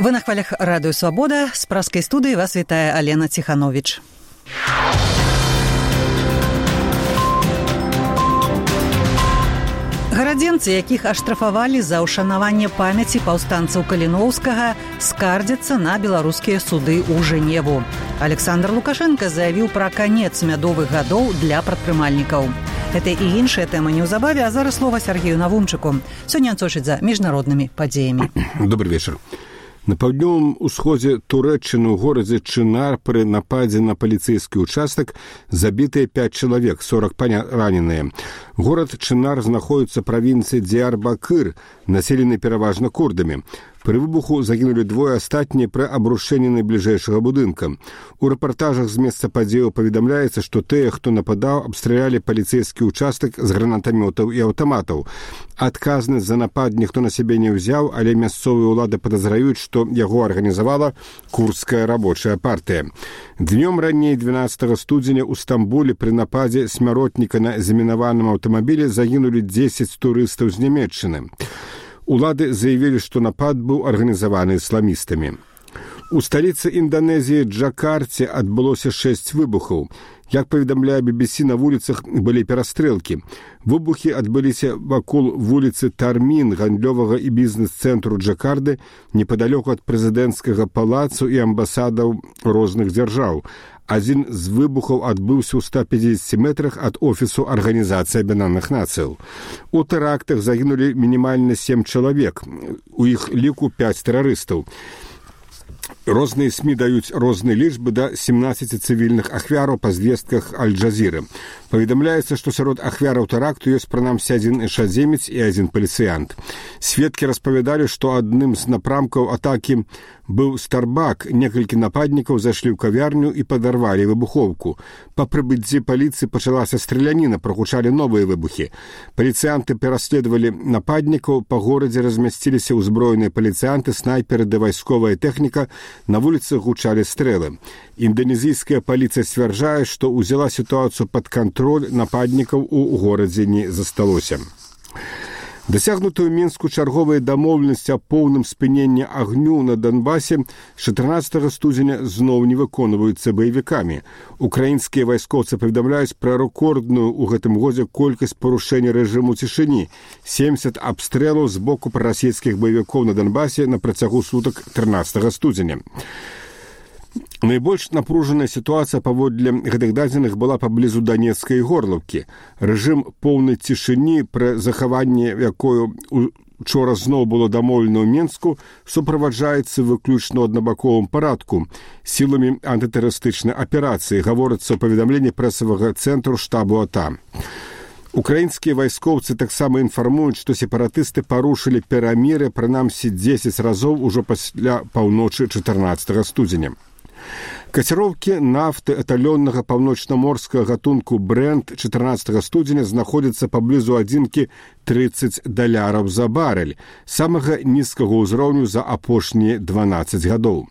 Вы на хвалях радыё «Свабода». З праскай студыі вас вітае Алена Ціхановіч. Гарадзенцы, якіх аштрафавалі за ўшанаванне памяці паўстанцаў Каліноўскага, скардзяцца на беларускія суды ў Жэневу. Александр Лукашенко заявіў пра канец мядовых гадоў для прадпрымальнікаў. Гэта і іншая тэма неўзабаве, а зараз слова Сергею Навумчыку. Сёння сочыць за міжнароднымі падзеямі. Добрый вечер. На паўднёвым усходзе Турэччыны ў горадзе Чынар пры нападзе на паліцэйскі ўчастак забітыя 5 чалавек, 40 раненыя. Горад Чынар знаходіцца правінцыі Діярбакыр, населены пераважна курдамі. Пры выбуху загінулі двое, астатнія пры абрушэнні найбліжэйшага будынка. У рэпартажах з месца падзеяў паведамляецца, што тыя, хто нападаў, абстралялі паліцэйскі ўчастак з гранатамётаў і аўтаматаў. Адказнасць за напад ніхто на сябе не ўзяў, але мясцовыя ўлады падазраюць, што яго арганізавала курдская рабочая партыя. Днём раней 12 студзеня ў Стамбуле пры нападзе смяротніка на замінаваным аўтамабілі загінулі 10 турыстаў з Нямецчыны. Улады заявілі, што напад быў арганізаваны ісламістамі. У сталіцы Інданезіі Джакарце адбылося 6 выбухаў. Як паведамляе BBC, на вуліцах былі перастрэлкі. Выбухі адбыліся вакол вуліцы Тармін, гандлёвага і бізнес-цэнтру Джакарды, непадалёку ад прэзідэнцкага палацу і амбасадаў розных дзяржаў. Адзін з выбухаў адбыўся ў 150 метрах ад офісу Арганізацыі Аб'яднаных Нацыяў. У тэрактах загінулі мінімальна 7 чалавек, у іх ліку 5 тэрарыстаў. Розныя СМІ даюць розныя лічбы да 17 цывільных ахвяраў па звестках Аль-Джазіры. Паведамляецца, што сярод ахвяраў тэракту ёсць прынамсі адзін ішадземец і адзін паліцыянт. Сведкі распавядалі, што адным з напрамкаў атакі быў Старбак. Некалькі нападнікаў зайшлі ў кавярню і падарвалі выбухоўку. Па прыбыцці паліцыі пачалася страляніна, прагучалі новыя выбухі. Паліцыянты пераследавалі нападнікаў, па горадзе размясціліся ўзброеныя паліцыянты, снайперы ды вайсковая тэхніка, на вуліцах гучалі стрэлы. Інданезійская паліцыя сцвярджае, што ўзяла сітуацыю пад кантроль, нападнікаў у горадзе не засталося. Дасягнутую ў Мінску чарговая дамоўленасць о поўным спыненні агню на Донбасе 14 студзеня зноў не выконваюцца баевікамі. Украінскія вайскоўцы паведамляюць пра рэкордную ў гэтым годзе колькасць парушэння рэжыму цішыні – 70 абстрэлаў з боку прарасійскіх баевікоў на Донбасе на працягу сутак 13 студзеня. Найбольш напружаная сітуацыя паводле гэтых дадзеных была паблізу Данецкай Горлаўкі. Рэжым поўнай цішыні, пры захаванні якой учора зноў было дамоўлена ў Мінску, суправаджаецца выключна ў аднабаковым парадку сіламі антытэрарыстычнай аперацыі, гаворыцца ў паведамленні прэсавага цэнтру штабу АТА. Украінскія вайскоўцы таксама інфармуюць, што сепаратысты парушылі перамір'е прынамсі 10 разоў ужо пасля паўночы 14 студзеня. Каціроўкі нафты эталённага паўночнаморскага гатунку Брент 14 студзеня знаходзяцца паблізу адзінкі $30 за барэль, самага нізкага ўзроўню за апошнія 12 гадоў.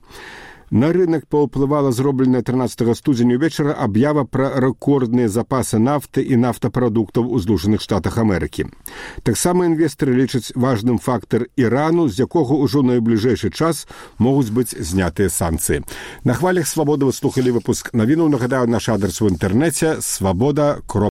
На рынок паўплывала зробленая 13 студзеня ўвечара аб'ява пра рэкордныя запасы нафты і нафтапрадуктаў у Злучаных Штатах Амерыкі. Таксама інвестары лічаць важным фактар Ірану, з якога ўжо найбліжэйшы час могуць быць знятыя санкцыі. На хвалях «Свабоды» вы слухалі выпуск навінаў. Нагадаю, наш адрес у інтэрнэце –